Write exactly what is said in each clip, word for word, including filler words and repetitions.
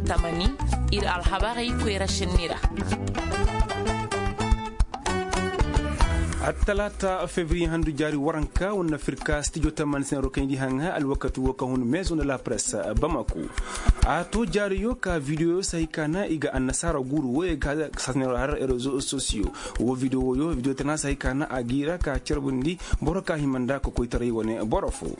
Tamani, ir alhabarey koyra šenni ra. Attalaata fevriye handu jaari waranka wane na firka stijo tamani sinaro kaŋ i di haŋa alwakati wo ka hun mezo nda la press bamako. A to jaariyo ka videoyo si hay ka na i ga annasaara guuru wo ye ga sasinaro har rezo sosiyo. Wo video woyo video tana si hay ka na a gi ra ka carbundi boro ka hima nda ka koytaray wane boro fo.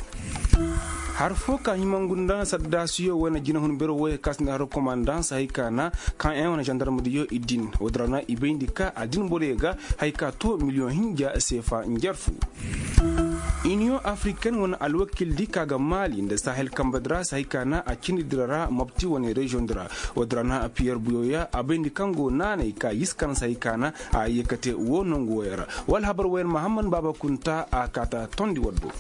Har fo ka himangu nda saddaasiyo wane jinahun bero wo ye ka sinda har komandan si hay ka na ka en wane zandarmadiyo i din wo dira na i bayndi ka a din boro ye ga hay ka to miliyoŋ hinja seefa njarfu. Iniyoŋ afriken wane alwakil di ka ga maali nda sahel kambe di ra si hay ka na a cindi dira ra mabti wane reziyoŋ di ra. Wo dira na piyer buyoya a bayndi kaŋ go naanay ka yiskan si hay ka na a yeekate wo nangu woyey ra. Wala habar woyey ra mahamman baaba kunta a kaata tondi waddo.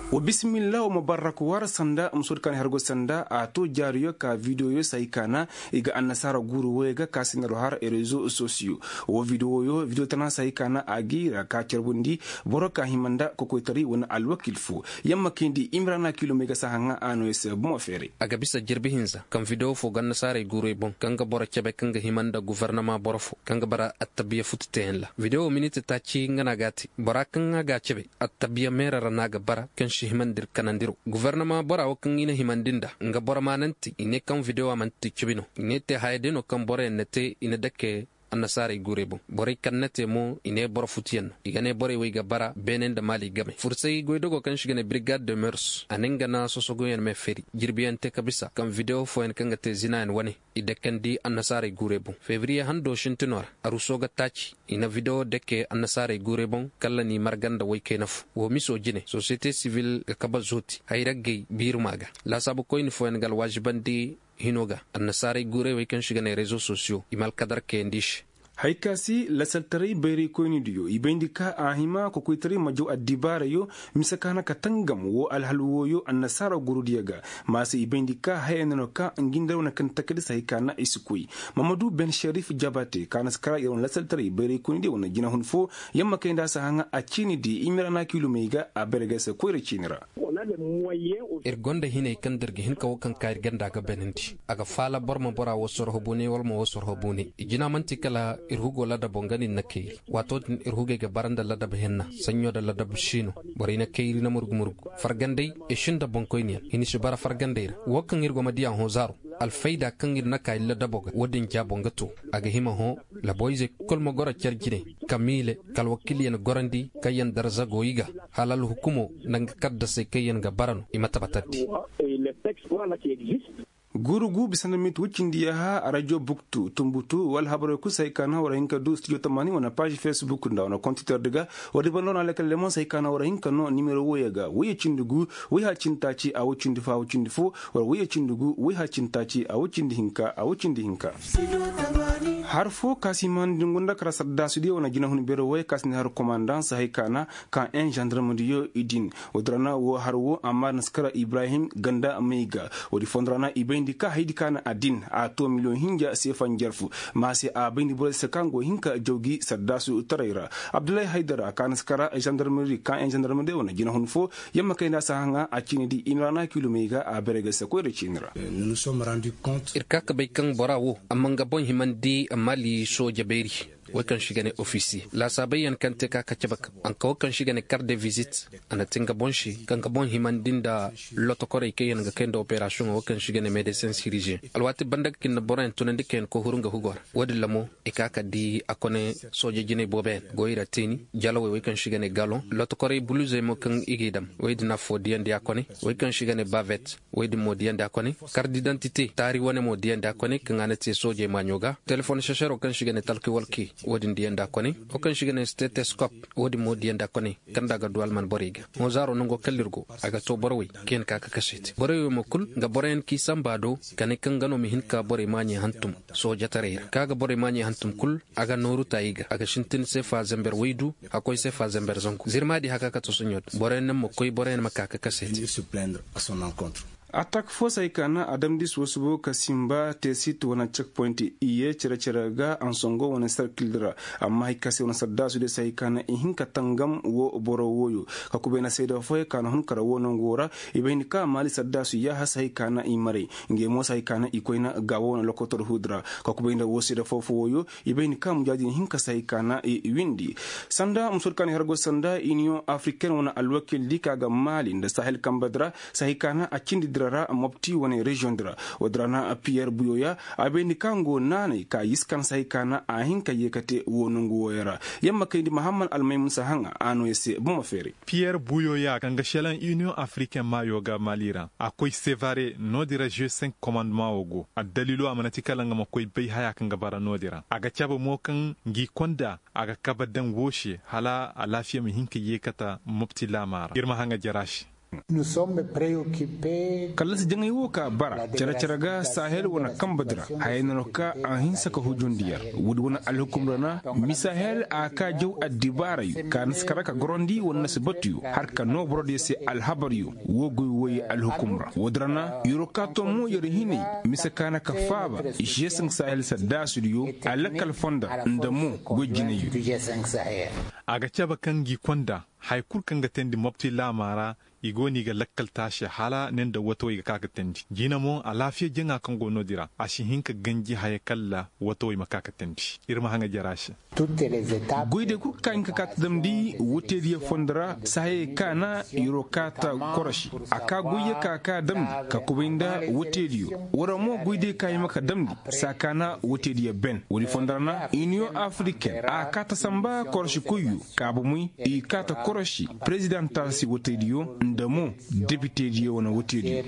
Wa bisimilla wa ma barrak war sanda musoodi kaŋ har go sanda a to jaariyo ka videoyo si hay ka na i ga annasaara guuru woyey ga ka sinaro har rezo sosiyo. Wo videoyo video tana si hay ka na a gi ra ka carbundi boro ka hima nda kokoytaray wane alwakil fo. Yamma kayndi imrana kilomey ga si a haŋa a no ya se bomo feeray. A ga bisa jirbi hinza kaŋ video fo ga annasaarey guuray boŋ kaŋ ga boro cabe kaŋ ga hima nda gufarnama boro fo kaŋ ga bara attabiya futu teeyaŋ ra video miniti taaci nga no a ga a te bora kaŋ a ga a cabe attabiya meera ra no a ga bara kaŋ si himandi ir kanandi ro gufarnama bora wo kaŋ i na himandi nda nga boro maananti i ne kaŋ video a manti cabi no i ne te haya day no kaŋ boroyaŋ na te i na dake annasaarey guurey boŋ borey kaŋ na te mo i ne boro futuyaŋ no i ga ne borey wo i ga bara beene nda maali game fursay goydogo kaŋ si ga ne birigad de mers a ne nga na sosogoyaŋ me feeri jirbiyaŋ te ka bisa kaŋ videwo fooyaŋ kaŋ ga te zinayaŋ wane i dakandi annasaarey guurey boŋ fevriye hando sintinoo ra aruso ga taaci i na videwo dake annasaarey guurey boŋ kala n'i marga nda woykayna fo woo miso jine sosiyete sibil ga kabe zooti hayraggey biiruma ga laasaabu koyni fooyaŋ ga alwaazibandi hino ga annasaarey guurey wey kaŋ si ga ne rezo sosiyo i ma alkadar kayandi i se. Hay ka se lasaltaray bayraykoynidiyo i bayndi ka a hima kokoytaray ma jaw addibaarayo mise ka na ka tangam woo alhal wooyo annasaara guurudiyo ga. Ma se i bayndi ka haya no no ka ngi nda wane kaŋ takadi si hay ka na i si koy. Mamadu ben sherif jabate ka na si kara ir wane lasaltaray bayraykoynidiyo wane jinahun fo yamma kay nda a si haŋa a ciini di i mira na kiilumey ga a bayra ga se koyra ciini ra. Ir gonda hinay kaŋ da ir ga hin ka wo kaŋ ka ir ganda ga banandi a ga faala boro ma bora wo sorho bune wala ma wo sorho bune i jina man'ti kala ir hugo ladabo nga no ir na kayri waato din ir hugey ga bara nda ladab henna saɲɲo nda ladab siino. Borey na kayri na murgu murgu fargandey i sinda boŋkoyniyaŋ hini si bara fargandey ra wo kaŋ ir go ma diya hõ zaaro alfayda kaŋ ir na ka ir ladabo ga wo- din jaabo nga to a ga hima hõ laboyzey kul ma goro care jine kamiile ka alwakiilyaŋ gorandi kaŋyaŋ darza go i ga hala alhukumo nda nga kaddasey kaŋyaŋ ga bara no i ma tabatandi. Guuru gu bisa nda minti woy cindi yaaha rajo buktu tumbutu wala habarey kul si hay ka na war hin ka du studio tamaani wane paazi fesbuk nda wane kontiter di ga. War di banda wane alakal lemon si hay ka na war hin ka no nimero woyey ga woyey cindi gu woy haa cindi taaci a woy cindi fo a woy cindi fo. War woyey cindi gu woy haa cindi taaci a woy cindi hinka a woy cindi hinka. Har fo ka si maani nda ngu nda kara sardaasudiyo wane jinahun beero woyey ka si nda har komandaŋ si hay ka na ka en zandarmediyo i din. Woodi ra na woo har woo amma na si kara ibrahim ganda may ga. Woodi fondo ra na i bayndi ka hayadi ka na a din a too miliyoŋ hinja seefa njarfu. Ma se a bayndi borey se kaŋ go hin ka jaw gi sardaasu taray ra. Abdullahi haydara ka na si kara zandarmeri ka en zandarmediyo wane jinahun foo. Yamma kay nda a si haŋa a ciini di i na ra na kiilumey ga a beere ga se koyra ciini ra. Ir ka ka bay kaŋ bora woo amma nga boŋ himandi maali sooja beeri. Wey kaŋ se i ga ne ofisiye laasaabey yaŋ kaŋ te ka ka cabe kaŋ a na ka wey kaŋ se i ga ne kar de vizit. A na te nga boŋ se ka nga boŋ himandi nda lotokorey kaŋ yaŋ ga kay nda operasiyoŋo wey kaŋ se i ga ne medesin siriziyeŋ. Alwaati banda ga ka i na boroyaŋ tunandi kaŋ yaŋ koy huru nga hugo ra. Wo- din ra mo i ka ka di a kone sooje jinay booboyaŋ go i ra teeni jalawey wey kaŋ se i ga ne galoŋ lotokorey buluzey mo kaŋ i g'i dam. Wey din affoo diyandi a kone wey kaŋ se i ga ne bavet. Wey din mo diyandi a kone kardidantite taari wane mo diyandi a kone kaŋ a na te soojey maaɲo ga telefon sesero kaŋ se i ga ne talki walki. Wo- din diyandi a kone wo kaŋ se i ga ne steteskop. Wo- din mo diyandi a kone kaŋ nda a ga du alman borey ga. Hõ zaaro nango kala ir go a ga to boro wey kaŋ yaŋ ka ka kase te borey wey mo kul nga boroyaŋ kaŋ i samba do ka ne kaŋ nga no ma hin ka borey maaɲey hantum soojataray ra kaŋ a ga borey maaɲey hantum kul. A ga nooru taayi ga a ga sintin seefa zember waydu hakkoy seefa zember zangu zirmaadi haka ka to soɲo din boroyaŋ naŋ ma koy boroyaŋ ma ka ka kase te. Atak fo se hay ka na a damndi suba-subo ka simba teesit wane cek point i ye cere-cere ga ansongo wane sarkil di ra. Amma hay ka se wane saddaasu diyo se hay ka na i hin ka tangam wo boro wooyo. Ka kubay nda seeda fooyaŋ ka na hun kara wo nangu wo ra. I bay ni ka maali saddaasu yaaha se hay ka na i maray. Ngey mo se hay ka na i koyna gaawo wane lokotor huudi ra. Ka kubay nda wo seeda foo-foo wooyo. I bay ni ka mujaadin hinka se hay ka na i windi. Sanda musoodi ka na i har goy sanda iniyoŋ afriken wane alwakil di ka ga maali nda sahel kambe di ra. Se hay ka na a cindi dira ra mopti wane reziyoŋ di ra. Woodi ra na piyer buyoya a bayndi ka nga wo naanay ka yiskan se hay ka na a hin ka yeekate wo nongu wooyo ra. Yamma kayndi mahamman almaymun se haŋa a nooya se buma feeray. Piyer buyoya kaŋ ga šelaŋ iniyoŋ afriken maayo ga maali ra a koy sevare noodin ra žesenk komandema wo go addaliilo a mana ti kala nga ma koy bay haya kaŋ ga bara noodin ra a ga cabe mo kaŋ ngi konda a ga kabe daŋ woo se hala alaafiya ma hin ka yeekata mopti laamaa ra ir ma haŋa jara se. Kallasi jaŋay wo ka bara cere-cere ga sahel wane kambe di ra. Hayey no ka a hinsa ka hujundi yer woodi wane alhukum ra na misahel a ka jaw addibaarayo ka na si kara ka gorandi wane na si batuyo har ka noo borodiyo se alhabaryo. Woo goy woy alhukum ra woodi ra na yer wo ka to mo yer hinay mise ka na ka faaba žesenk sahel saddaasudiyo a lakkal fonda nda mo goy jinayyo. A ga cabe kaŋ ngi konda haya kul kaŋ ga teendi mopti laamaa ra. I go no i ga lakkal taasi hala ne nda watawey ga ka ga teendi jina mo alaafiya jaŋa kaŋ go noodin ra a si hin ka ganji haya kalla watawey ma ka ga teendi. Ir ma haŋa jara se. Goydey kul kaŋ ka hin ka ka ta damndi woteediyo fondo ra saahayey ka na yer wo ka ta korosi a ka goyyo ka ka damndi ka kubay nda woteediyo. War mo goydey ka hima ka damndi saa ka na woteediyo ben woodi fondo ra na iniyoŋ afriken a ka ta samba korosikoyyo. Ka bomey i ka ta korosi perezidantal se wotediyo nda mo depitediyo wane wotediyo.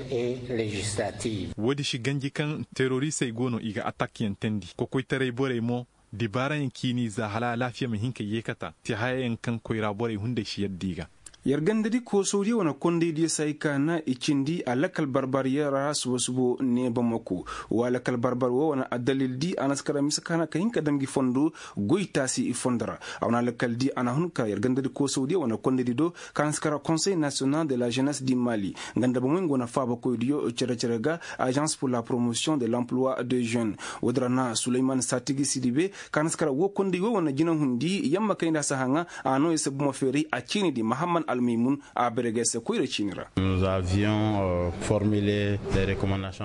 Woodi si ganji kaŋ terorisey go no i ga atakyaŋ teendi kokoytaray borey mo dibaarayaŋ ciini za hala alaafiya ma hin ka yeekata ti hayayaŋ kaŋ koyra borey hunday si yadda i ga. Yer gandadi koosawdiyo wane kondaydiyo se hay ka na i cindi a lakal barbar yer ra suba-subo ne bamako. Wa lakal barbar wo wane addalil di a na si kara mise ka na ka hin ka dam gi fondo goy taasi i fondo ra. A wane alakal di a na hun ka yer gandadi koosawdiyo wane kondaydi do ka na si kara konsey nasiyonal de la jenes di mali. Nga nda bomey nga wane faabakoydiyo cere-cere ga azans pur la promotion de l'emploi de jeune. Woodi ra na suleyman satigi sidibe ka na si kara wo konday wo wane jinahundi yamma kay nda a si haŋa. A no i si bomo feeray a ciini di mahamman almaymun a bere ga ay se koyra ciini ra.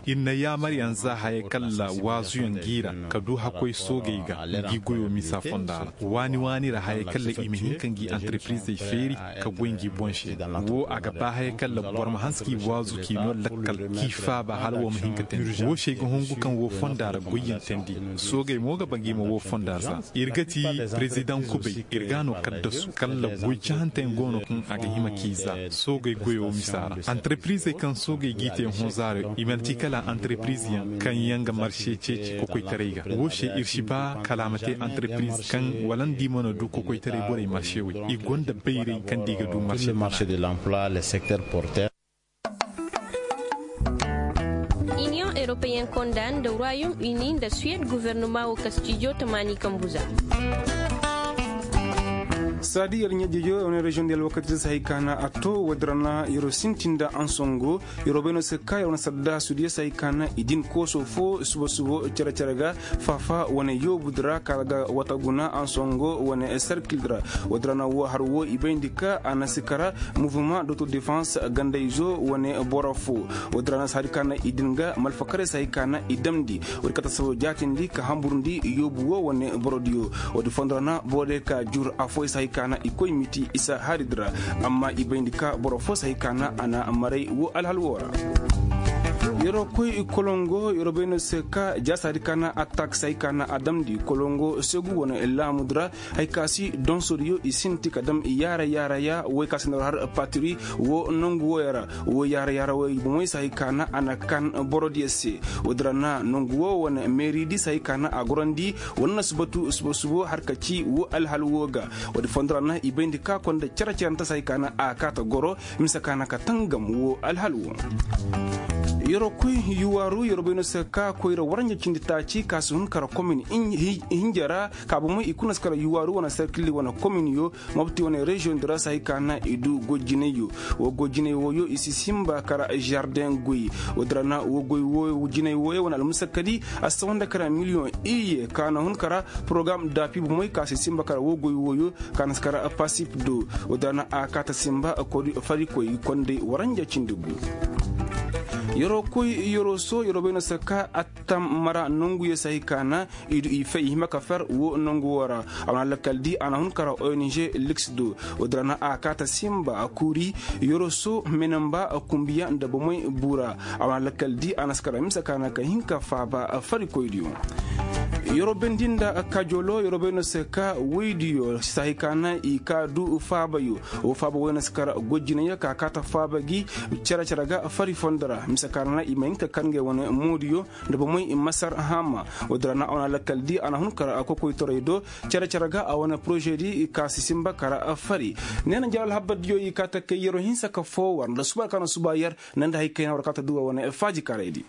Ir na yaamaryaŋ za hayey kalla waazuyaŋ g'i ra ka du hakkoy soogey ga ngi goyo misa fonda ra waani-waani ra hayey kalla i ma hin ka ngi antarprizey feeri ka goy ngi boŋ se. Wo a ga ba hayey kalla boro ma hanse k'i waazu k'i noo lakkal k'i faaba hala wo ma hin ka teendi wo se ay ga hungu kaŋ wo fonda ra goyyaŋ teendi. Soogey mo ga ba ngi ma wo fonda za. Ir ga ti perezidaŋ kubay ir ga a no kaddasu kalla goy cahanteyaŋ go no kaŋ a ga hima k'i za. Soogey goyo misa ra antarprizey kaŋ soogey g'i te hõ zaaro i mana ti kala antarprizyaŋ kaŋ yaŋ ga marse ceeci kokoytaray ga wo se ir si ba kala a ma te antarpriz kaŋ wala nda i mana du kokoytaray borey marse wey i gonda bayray kaŋ nda i ga du marse. Iniyoŋ europeyen konda nda royaume uni nda suwed guvernama wo ka stijo tamaani kambu za. Saadi yer ɲajejo wane reziyoŋ di alwakati se hay ka na a to woodi ra na yer sintin nda ansongo. Yer wo bay no se ka yer wane saddaasu diyo se hay ka na i din kooso fo subo-subo cere-cere ga faafa wane yoobu di ra ka ga wata guna ansongo wane serkil di ra. Woodi ra na wo har wo i bayndi ka a na si kara muvuma doto defans gandayzo wane boro fo. Woodi ra na si hari ka na i din ga malfakaray si hari ka na i damndi. Woodi kata sabo jaatindi ka hamburndi yoobu wo wane borodiyo. Woodi fondo ra na borodiyo ka jur afooyaŋ si hari ka na i koy miti isa hari di ra. Amma i bayndi ka boro fo si hari ka na a na maray wo alhal wo ra. Yeroo koy kolongo yeroo bay no se ka jaasa hari ka na attaak si hari ka na a damndi kolongo segu wane laamu di ra. Hay ka si donsoriyo i sinti ka dam yaara yaara ya woy ka si na war har patiri wo nongu woyo ra. Wo yaara yaara woy bomey si hay ka na a na kan borodiyo se. Woodi ra na nongu wo wane meeri di si hay ka na a gorandi wane na si batu subo subo har ka ci wo alhal wo ga. Woodi fondo ra na i bayndi ka konda cere cerenta si hay ka na a kaata goro mise ka na ka tangam wo alhal wo. Yeroo koy yuwaaru yeroo bay no se ka koyra waranja cindi taaci ka si hun kara komin hinja ra. Ka bomey i kuna si kara yuwaaru wane serkilli wane kominyo mobti wane reziyoŋ di ra si hay ka na i du goy jinay yo. Woo goy jinay wooyo i si simba kara zardeŋ goy. Woo din ra na woo goy jinay wooyo wane almusakadi a si sawanda kara miliyoŋ iyye ka na hun kara porogaram daafi bomey ka si simba kara woo goy wooyo ka na si kara pasip do. Woo din ra na a kaa ta simba fari koy konday waranja cindi gu. Yeroo koy yeroo soo yeroo bay no se ka attam mara nonguyo si hay ka na i du i fay i hima ka fer woo nongu woo ra. A wane alakal di a na hun kara ong liks do. Woo din ra na a kaa ta simba kuuri yeroo soo menamba kumbiya nda bomey buu ra. A wane alakal di a na si kara mise ka na ka hin ka faaba fari koydiyo. Yeroo bendi nda kajolo yeroo bay no se ka woydiyo si hay ka na i kaa du faabayo. Woo faaba woy na si kara goy jinay ka kaa ta faaba gi cere cere ga fari fondo ra mise ka na i ma hin ka kar ngey wane moodiyo nda bomey masar haama. Woo din ra na a wane alakal di a na hun kara kokoytaray do cere cere ga a wane poroze di ka si simba kara fari. Ne na njaral habar diyo i kaa ta kay yeroo hinsa ka foo war nda suba ka na suba yer ne nda hay kayna war kaa ta du war wane faaji karay di.